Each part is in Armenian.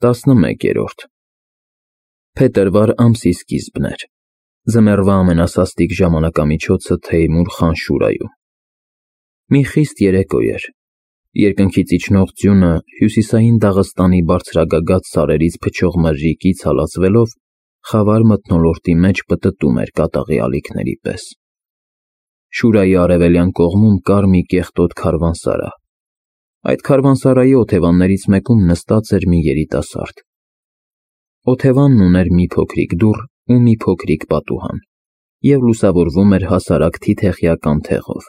11-րդ Փետրվար ամսի սկիզբն էր։ Ձմեռվա ամենասաստիկ ժամանակամիջոցը Թեյմուր խան Շուրայում։ Մի խիստ երեկո էր։ Երկնքից իջնող ձյունը հյուսիսային Դաղստանի բարձրագագաթ սարերից փչող մրրիկից հալածվելով խավար մթնոլորտի մեջ պտտում էր կատաղի ալիքների պես։ Շուրայի արևելյան կողմում կար մի կեղտոտ քարվանսարա։ Այդ քարվանսարայի օթևաններից մեկում նստած էր մի երիտասարդ։ Օթևանն ուներ մի փոքրիկ դուռ ու մի փոքրիկ պատուհան և լուսավորվում էր հասարակ թիթեղյա թեղով,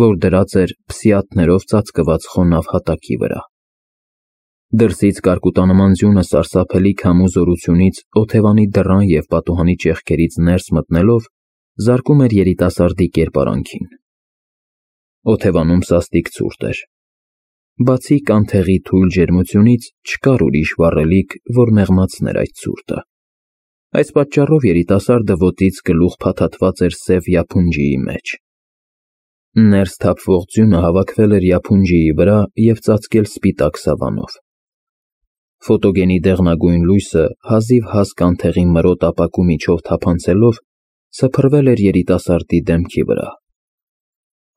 որ դրած էր փսիաթներով ծածկված խոնավ հատակի վրա։ Դրսից կարկուտանման ձյունը սարսափելի քամու զորությունից օթևանի դռան և պատուհանի ճեղքերից ներս մտնելով զարկում էր երիտասարդի կերպարանքին։ Օթևանում սաստիկ ցուրտ էր։ Բացի կանթեղի թույլ ջերմությունից չկար ուրիշ վառելիք, որ մեղմացներ այդ ցուրտը։ Այս պատճառով երիտասարդը ոտից գլուխ փաթաթված էր սև յափունջիի մեջ։ Ներս թափվող ձյունը հավաքվել էր յափունջիի վրա և ծածկել սպիտակ սավանով։ Ֆոտոգենի դեղնագույն լույսը հազիվ կանթեղի մրոտ ապակու միջով թափանցելով սփռվել էր երիտասարդի դեմքի վրա։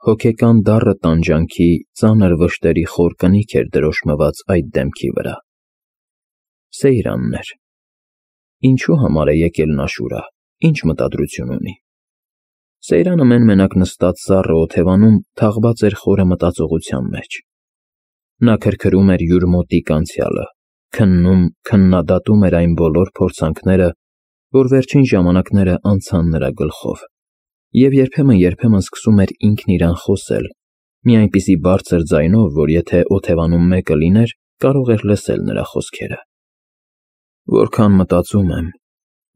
Հոգեկան դառը տանջանքի ծանր վշտերի խոր կնիք էր դրոշմված այդ դեմքի վրա։ Սեյրանն էր։ Ինչու համար է եկել նա Շուրա, ինչ մտադրություն ունի։ Սեյրանը մեն-մենակ նստած սառը օթևանում թաղված էր խորը մտածողության մեջ։ Նա քրքրում էր յուր մոտիկ անցյալը, քննում, քննադատում էր այն բոլոր փորձանքները, որ վերջին ժամանակները անցան նրա գլխով, և երբեմն սկսում էր ինքն իրան խոսել, մի այնպիսի բարձր ձայնով, որ եթե օթևանում մեկը լիներ, կարող էր լսել նրա խոսքերը։ Որքան մտածում եմ,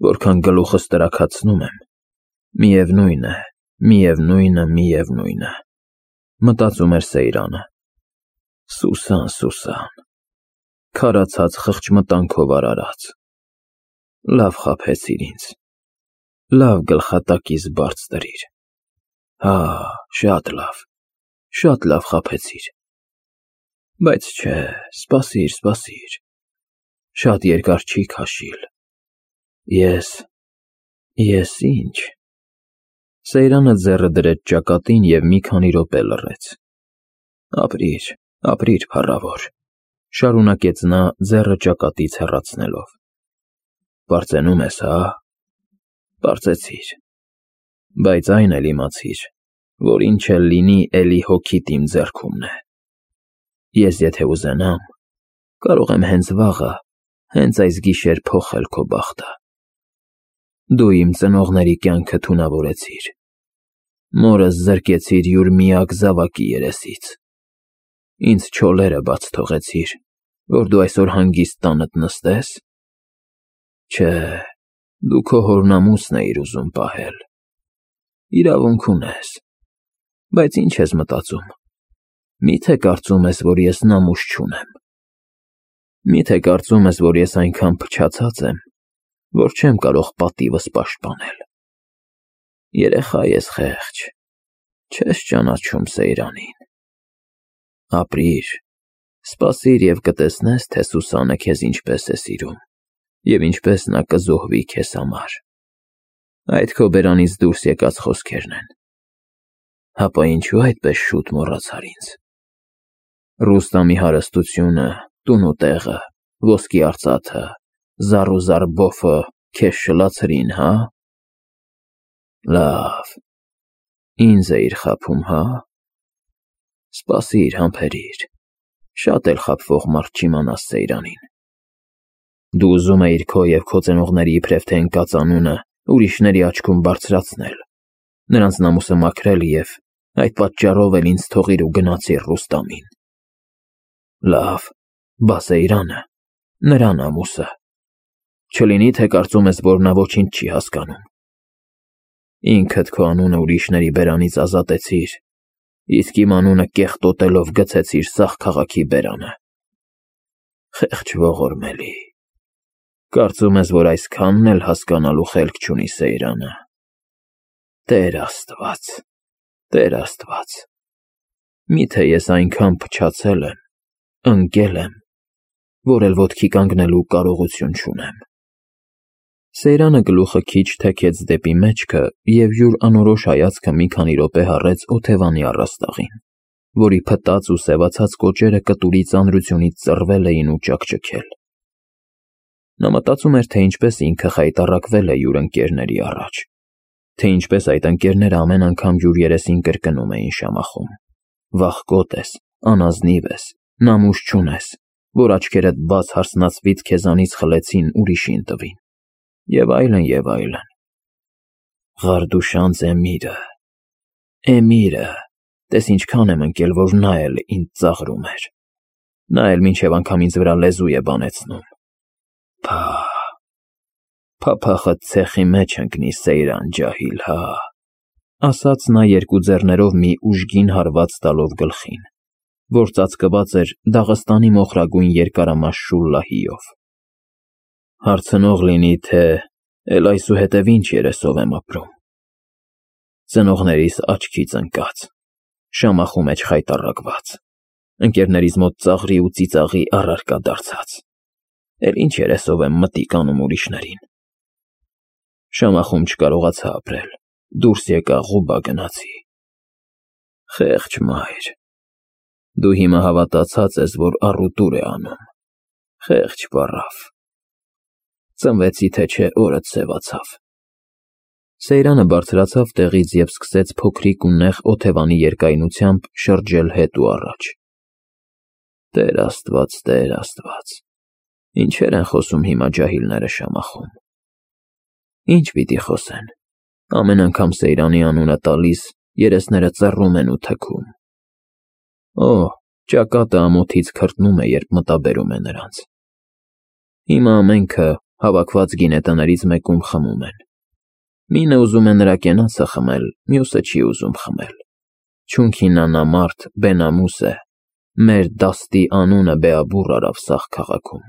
որքան գլուխս տրաքացնում եմ, միևնույն է, մտածում էր Սեյրանը։ Սուսան, քարացած խղճմտանքով արարած։ Լավ խաբեցիր ինձ, լավ գլխատակիս բարձ դրիր։ Հա, շատ լավ խաբեցիր։ Բայց չէ, սպասիր, շատ երկար չի քաշիլ։ Ես ինչ։ Սեյրանը ձեռը դրեց ճակատին և մի քանի րոպե լռեց։ Ապրիր, փառավոր, շարունակեց նա ձեռը ճակատից հեռացնելով։ Պարծենում ես, հա՞։ Պարծեցիր, բայց այն էլ իմացիր, որ ինչ էլ լինի, էլի հոգիդ իմ ձեռքումն է։ Ես եթե ուզենամ, կարող եմ հենց վաղը, հենց այս գիշեր փոխել քո բախտը։ Դու իմ ծնողների կյանքը թունավորեցիր։ Մորս զրկեցիր յուր միակ զավակի երեսից։ Ինձ չոլերը բաց թողեցիր, որ դու այսօր հանգիստ տանդ նստես։ Չէ, դու քո հորնամուսն էիր ուզում պահել։ Իրավունք ունես, բայց ինչ ես մտածում։ Մի՞թե կարծում ես, որ ես նամուշ չունեմ։ Մի՞թե կարծում ես, որ ես այնքան փչացած եմ, որ չեմ կարող պատիվս պաշտպանել։ Երեխա ես խեղճ, չես ճանաչում Սեյրանին։ Ապրիր, սպասիր և կտեսնես, թե Սուսանը քեզ ինչպես է սիրում և ինչպես նա կզոհվի քեզ համար։ Այդ քո բերանից դուրս եկած խոսքերն են։ Հապա ինչու այդպես շուտ մոռացար ինձ։ Ռուստամի հարստությունը, տուն ու տեղը, ոսկի արծաթը, զառ ու զարբոֆը քեզ շլացրին, հա՞։ Լավ, ինձ էիր խաբում, հա՞։ Սպասիր, համբերիր, շատ էլ խաբվող մարդ չիմանաս Սեյրանին։ Դու ուզում էիր քո և քո ծնողների իբրև թե ընկած անունը ուրիշների աչքում բարձրացնել, նրանց նամուսը մաքրել և այդ պատճառով էլ ինձ թողիր ու գնացիր Ռուստամին։ Լավ, բա Սեյրանը, նրա նամուսը։ Չլինի, թե կարծում ես, որ նա ոչինչ չի հասկանում։ Ինքդ քո անունը ուրիշների բերանից ազատեցիր, իսկ իմ անունը կեղտոտելով գցեցիր սաղ քաղաքի բերանը։ Խեղճ ողորմելի։ Կարծում ես, որ այսքանն էլ հասկանալու խելք չունի Սեյրանը։ Տեր Աստված, միթե ես այնքան փչացել եմ, ընկել եմ, որ էլ ոտքի կանգնելու կարողություն չունեմ։ Սեյրանը գլուխը քիչ թեքեց դեպի մեջքը և յուր անորոշ հայացքը մի քանի րոպե հառեց օթևանի առաստաղին, որի փտած ու սևացած կոճերը կտուրի ծանրությունից ծռվել էին ու ճաքճքել։ Նա մտածում էր, թե ինչպես ինքը խայտառակվել է յուր ընկերների առաջ, թե ինչպես այդ ընկերները ամեն անգամ յուր երեսին կրկնում էին շամախում. «Վախկոտ ես, անազնիվ ես, նամուս չունես, որ աչքերդ բաց հարսնացվից քեզանից խլեցին ուրիշին տվին» և այլն և այլն։ Ղարդուշանց Էմիրը, տես ինչքան եմ ընկել, որ նա էլ ինձ ծաղրում էր, նա էլ մինչև անգամ ինձ վրա լեզու է բանեցնում։ Փափախդ ցեխի մեջ ընկնի, Սեյրան ջահիլ, հա, ասաց նա երկու ձեռներով մի ուժգին հարված տալով գլխին, որ ծածկված էր Դաղստանի մոխրագույն երկարամաշ շուլլահիով։ Հարցնող լինի, թե էլ այսուհետև ինչ երեսով եմ ապրում։ Ծնողներիս աչքից ընկած, շամախու մեջ խայտառակված, ընկերներիս մոտ ծաղրի ու ծիծաղի առարկա դարձած, էլ ինչ երեսով եմ մտիկ անում ուրիշներին։ Շամախում չկարողացա ապրել, դուրս եկա, Ղուբա գնացի։ Խեղճ մայր, դու հիմա հավատացած ես, որ առուտուր է անում, խեղճ պառավ, ծնվեցի թե չէ օրդ սևացավ։ Սեյրանը բարձրացավ տեղից և սկսեց փոքրիկ ու նեղ օթևանի երկայնությամբ շրջել հետ ու առաջ։ Տեր Աստված, ինչեր են խոսում հիմա ջահիլները շամախում։ Ինչ պիտի խոսեն, ամեն անգամ Սեյրանի անունը տալիս, երեսները ծռում են ու թքում։ Ճակատը ամոթից քրտնում է, երբ մտաբերում է նրանց։ Հիմա ամենքը հավաքված գինետներից մեկում խմում են։ Մինը ուզում է նրա կենացը խմել, մյուսը չի ուզում խմել։ Չունքին անամարդ Բենամուս է, մեր դաստի անունը Բեաբուռ արավ սաղ քաղաքում։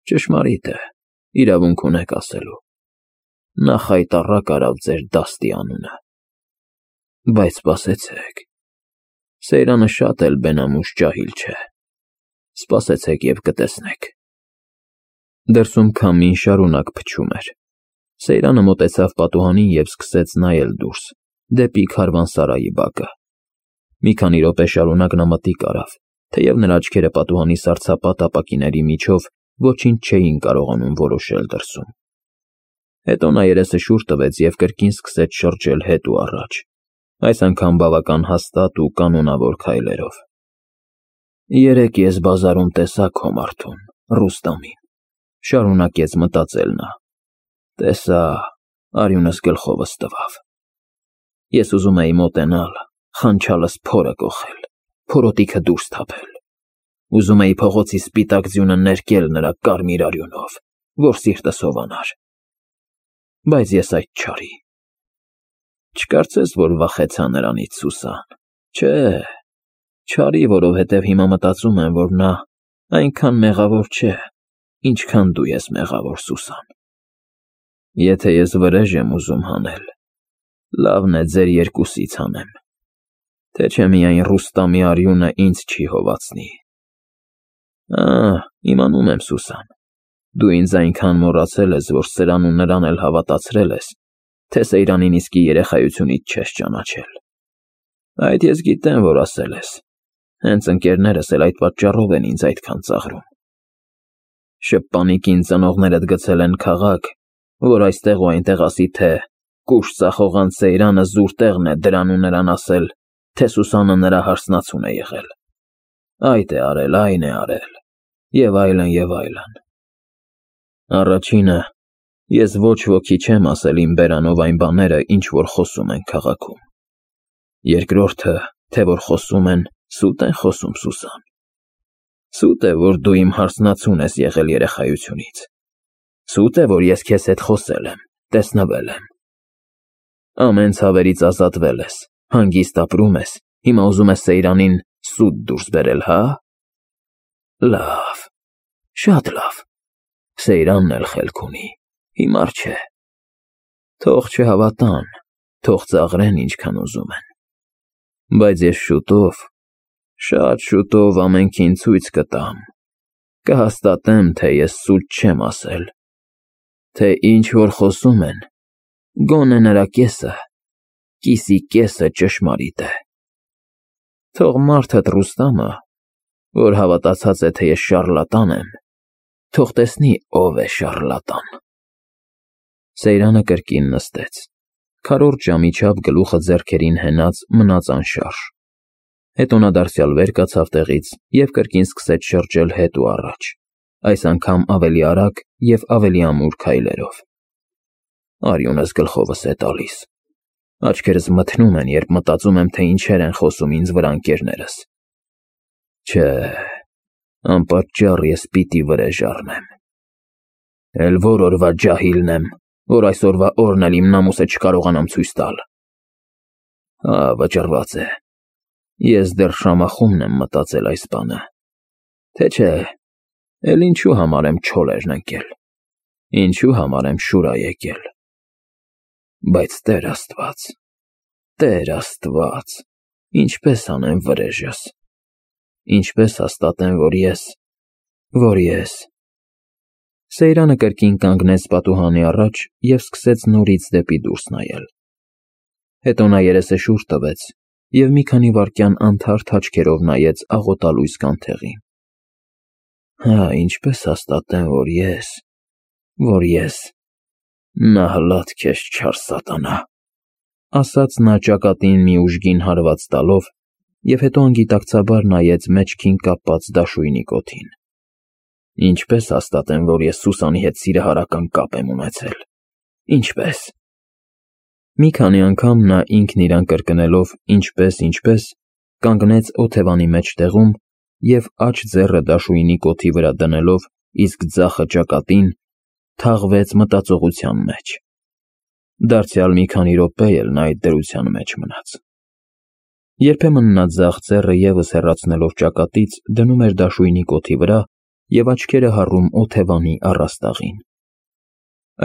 Ճշմարիտ է, իրավունք ունեք ասելու։ Նա խայտառակ արավ ձեր դաստի անունը։ Բայց սպասեցեք, Սեյրանը շատ էլ Բենամուս ջահիլ չէ։ Սպասեցեք և կտեսնեք։ Դրսում քամին շարունակ փչում էր։ Սեյրանը մոտեցավ պատուհանին և սկսեց նայել դուրս, դեպի քարվանսարայի բակը։ Մի քանի րոպե շարունակ նա մտիկ արավ, թեև նրա աչքերը պատուհանի սառցապատ ապակիների միջով ոչինչ չէին կարողանում որոշել դրսում։ Հետո նա երեսը շուռ տվեց և կրկին սկսեց շրջել հետ ու առաջ, այս անգամ բավական հաստատ ու կանոնավոր քայլերով։ Երեկ ես բազարում տեսա քո մարդուն, Ռուստամին, շարունակեց մտածել նա, տեսա, արյունս գլխովս տվավ։ Ես ուզում էի մոտենալ, խանչալս փորը կոխել, փորոտիքը դուրս թափել։ Ուզում էի փողոցի սպիտակ ձյունը ներկել նրա կարմիր արյունով, որ սիրտս հովանար։ Բայց ես այդ չարի։ Չկարծես, որ վախեցա նրանից, Սուսան, չէ, չարի, որովհետև հիմա մտածում եմ, որ նա այնքան մեղավոր չէ, ինչքան դու ես մեղավոր, Սուսան։ Եթե ես վրեժ եմ ուզում հանել, լավն է ձեր երկուսից հանեմ, թե չէ միայն Ռուստամի արյունը ինձ չի հովացնի։ Իմանում եմ, Սուսան, դու ինձ այնքան մոռացել ես, որ սրան ու նրան էլ հավատացրել ես, թե Սեյրանին իսկի երեխայությունից չես ճանաչել։ Այդ ես գիտեմ, որ ասել ես, հենց ընկերներս էլ այդ պատճառով են ինձ այդքան ծաղրում։ Շպանիկին ծնողներդ գցել են քաղաք, որ այստեղ ու այնտեղ ասի, թե կուշ ծախողան Սեյրանը զուր տեղն է դրան ու նրան ասել, թե Սուսանը նրա հարսնացուն է եղել։ Այդ է արել, այն է արել, և այլն, և այլն։ Առաջինը, ես ոչ ոքի չեմ ասել իմ բերանով այն բաները, ինչ որ խոսում են քաղաքում։ Երկրորդը, թե որ խոսում են, սուտ են խոսում, Սուսան։ Սուտ է, որ դու իմ հարսնացուն ես եղել երեխայությունից։ Սուտ է, որ ես քեզ հետ խոսել եմ, տեսնվել եմ։ Ամեն ցավերից ազատվել ես, հանգիստ ապրում ես, հիմա ուզում ես Սեյրանին սուտ դուրս բերել, հա՞։ Լավ, շատ լավ։ Սեյրանն էլ խելք ունի, հիմար չէ։ Թող չհավատան, թող ծաղրեն ինչքան ուզում են։ Բայց ես շուտով, շատ շուտով ամենքին ցույց կտամ, Կհաստատեմ, թե ես սուտ չեմ ասել, թե ինչ որ խոսում են, գոնե նրա կեսը, կիսի կեսը ճշմարիտ է։ Թող մարդդ Ռուստամը, որ հավատացած է, թե ես շառլատան եմ, թող տեսնի ով է շառլատան։ Սեյրանը կրկին նստեց, քառորդ ժամի չափ գլուխը ձեռքերին հենած մնաց անշարժ։ Հետո նա դարձյալ վեր կացավ տեղից և կրկին սկսեց շրջել հետ ու առաջ, այս անգամ ավելի արագ և ավելի ամուր քայլերով։ Արյունս գլխովս է տալիս, աչքերս մթնում են, երբ մտածում եմ, թե ինչեր են խոսում ինձ վրա ընկերներս։ Չէ, անպատճառ ես պիտի վրեժ առնեմ։ Էլ որ օրվա ջահիլն եմ, որ այսօրվա օրն էլ իմ նամուսը չկարողանամ ցույց տալ։ Վճռված է։ Ես դեռ շամախումն եմ մտածել այս բանը, թե չէ, էլ ինչու համար եմ չոլերն ընկել, ինչու համար եմ շուրա եկել։ Բայց Տեր Աստված, ինչպես անեմ վրեժս, ինչպես հաստատեմ, որ ես… Սեյրանը կրկին կանգնեց պատուհանի առաջ և սկսեց նորից դեպի դուրս նայել։ Հետո նա երեսը շուռ տվեց և մի քանի վայրկյան անթարթ աչքերով նայեց աղոտալույս կանթեղին։ Ինչպես հաստատեմ, որ ես… Նահլատ քեզ չար սատանա, ասաց նա ճակատին մի ուժգին հարված տալով և հետո անգիտակցաբար նայեց մեջքին կապված դաշույնի կոթին։ Ինչպես հաստատեմ, որ ես Սուսանի հետ սիրահարական կապ եմ ունեցել, ինչպես… Մի քանի անգամ նա ինքն իրան կրկնելով ինչպես, կանգնեց օթևանի մեջտեղում և աջ ձեռը դաշույնի կոթի վրա դնելով, իսկ ձախը ճակատին, թաղվեց մտածողության մեջ։ Դարձյալ մի քանի րոպե էլ նա այդ դրության մեջ մնաց։ Երբեմն նա ձախ ձեռը ևս հեռացնելով ճակատից դնում էր դաշույնի կոթի վրա և աչքերը հառում օթևանի առաստաղին։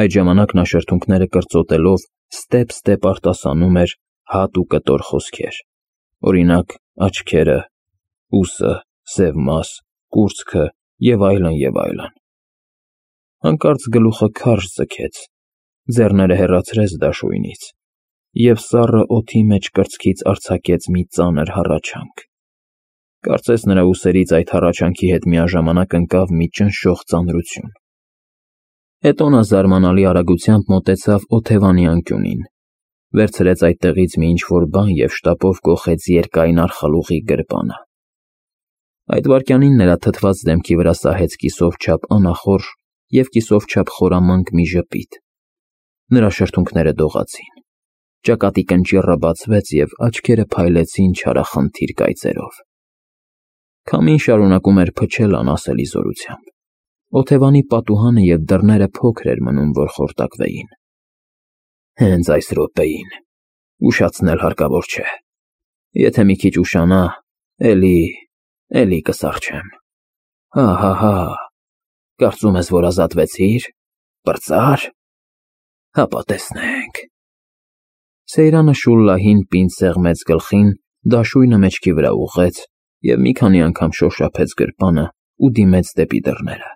Այդ ժամանակ նա շրթունքները կրծոտելով ստեպ արտասանում էր հատ ու կտոր խոսքեր, օրինակ աչքերը, ուսը, սև մաս, կուրծքը և այլն։ Հանկարծ գլուխը քարշ ձգեց, ձեռները հեռացրեց դաշույնից, և սառը օդի մեջ կրծքից արձակեց մի ծանր հառաչանք։ Կարծես նրա ուսերից այդ հառաչանքի հետ միաժամանակ ընկավ մի ճնշող ծանրություն։ Հետո նա զարմանալի արագությամբ մոտեցավ օթևանի անկյունին, վերցրեց այդտեղից մի ինչ-որ բան և շտապով կոխեց երկայն արխալուղի գրպանը։ Այդ վայրկյանին նրա թթված դեմքի վրա սահեց կիսով չափ անախորժ և կիսով չափ խորամանկ մի ժպիտ։ Նրա շրթունքները դողացին, ճակատի կնճիռը բացվեց և աչքերը փայլեցին չարախնդիր կայծերով։ Քամին շարունակում էր փչել անասելի զորությամբ։ Օթևանի պատուհանը և դռները փոքր էր մնում, որ խորտակվեին։ Հենց այս րոպեին, ուշացնել հարկավոր չէ։ Եթե մի քիչ ուշանա, էլի կսառչեմ։ Հա, կարծում ես, որ ազատվեցիր, պրծա՞ր։ Հապա տեսնենք։ Սեյրանը շուլլահին պինդ սեղմեց գլխին, դաշույնը մեջքի վրա ուղղեց և մի քանի անգամ շոշափեց գրպանը ու դիմեց դեպի դռները։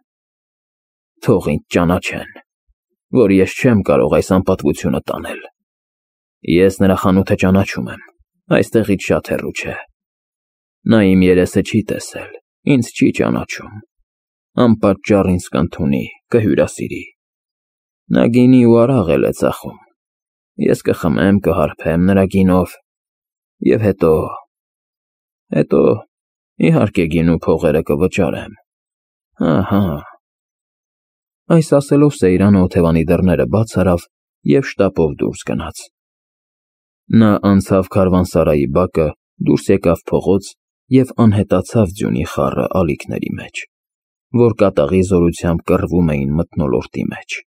Թող ինձ ճանաչեն, որ ես չեմ կարող այս անպատվությունը տանել։ Ես նրա խանութը ճանաչում եմ, այստեղից շատ հեռու չէ։ Նա իմ երեսը չի տեսել, ինձ չի ճանաչում, անպատճառ ինձ կընդունի, կհյուրասիրի։ Նա գինի ու արաղ էլ է ծախում, ես կխմեմ, կհարբեմ նրա գինով և հետո, իհարկե, գինու փողերը կվճարեմ։ Հա։ Այս ասելով Սեյրանը օթևանի դռները բաց արավ և շտապով դուրս գնաց։ Նա անցավ քարավանսարայի բակը, դուրս եկավ փողոց և անհետացավ ձյունի խառը ալիքների մեջ, որ կատաղի զորությամբ կռվում էին մթնոլորտի մեջ։